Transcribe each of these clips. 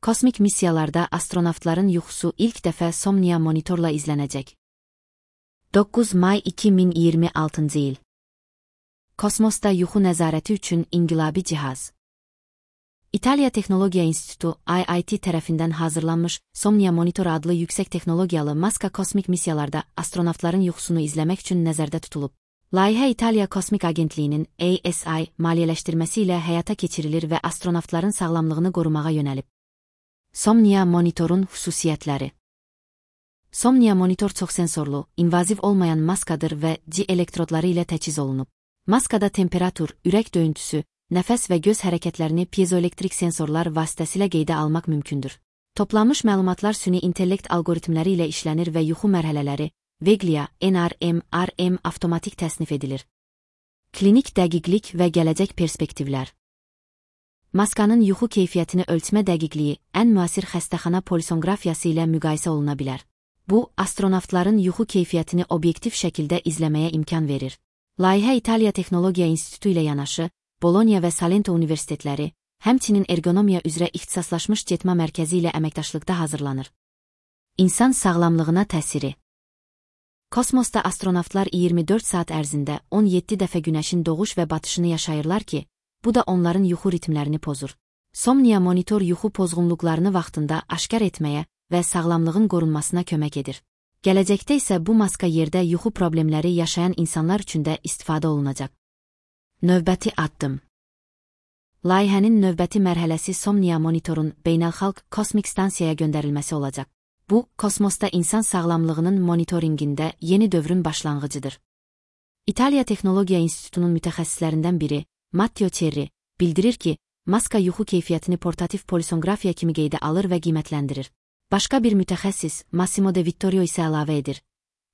Kosmik missiyalarda astronavtların yuxusu ilk dəfə Somnia monitorla izlənəcək. 9 may 2026 il. Kosmosda yuxu nəzarəti üçün inqilabi cihaz. İtaliya Texnologiya İnstitutu (IIT) tərəfindən hazırlanmış Somnia Monitor adlı yüksək texnologiyalı maska kosmik missiyalarda astronavtların yuxusunu izləmək üçün nəzərdə tutulub. Layihə İtaliya Kosmik Agentliyinin ASI maliyyələşdirməsi ilə həyata keçirilir və astronavtların sağlamlığını qorumağa yönəlib. Somnia monitorun xüsusiyyətləri. Somnia monitor çoxsensorlu, invaziv olmayan maskadır və C elektrodları ilə təchiz olunub. Maskada temperatur, ürək döyüntüsü, nəfəs və göz hərəkətlərini piezoelektrik sensorlar vasitəsilə qeydə almaq mümkündür. Toplanmış məlumatlar süni intellekt algoritmləri ilə işlənir və yuxu mərhələləri, Veglia, NRM, RM avtomatik təsnif edilir. Klinik dəqiqlik və gələcək perspektivlər. Maskanın yuxu keyfiyyətini ölçmə dəqiqliyi ən müasir xəstəxana polisonqrafiyası ilə müqayisə oluna bilər. Bu, astronavtların yuxu keyfiyyətini obyektiv şəkildə izləməyə imkan verir. Layihə İtaliya Texnologiya İnstitutu ilə yanaşı, Bologna və Salento universitetləri, həmçinin ergonomiya üzrə ixtisaslaşmış getmə mərkəzi ilə əməkdaşlıqda hazırlanır. İnsan sağlamlığına təsiri. Kosmosda astronavtlar 24 saat ərzində 17 dəfə günəşin doğuş və batışını yaşayırlar ki, bu da onların yuxu ritmlərini pozur. Somnia monitor yuxu pozğunluqlarını vaxtında aşkar etməyə və sağlamlığın qorunmasına kömək edir. Gələcəkdə isə bu maska yerdə yuxu problemləri yaşayan insanlar üçün də istifadə olunacaq. Növbəti addım. Layihənin növbəti mərhələsi Somnia monitorun beynəlxalq kosmik stansiyaya göndərilməsi olacaq. Bu, kosmosda insan sağlamlığının monitoringində yeni dövrün başlanğıcıdır. İtaliya Texnologiya İnstitutunun mütəxəssislərindən biri, Matteo Cerri, bildirir ki, maska yuxu keyfiyyətini portativ polisonqrafiya kimi qeydə alır və qiymətləndirir. Başqa bir mütəxəssis, Massimo De Vittorio isə əlavə edir.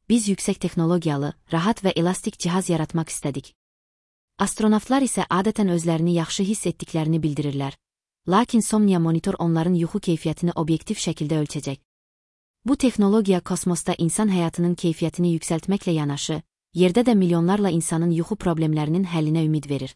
Biz yüksək texnologiyalı, rahat və elastik cihaz yaratmaq istədik. Astronavtlar isə adətən özlərini yaxşı hiss etdiklərini bildirirlər. Lakin Somnia monitor onların yuxu keyfiyyətini obyektiv şəkildə ölçəcək. Bu texnologiya kosmosda insan həyatının keyfiyyətini yüksəltməklə yanaşı, yerdə də milyonlarla insanın yuxu problemlərinin həllinə ümid verir.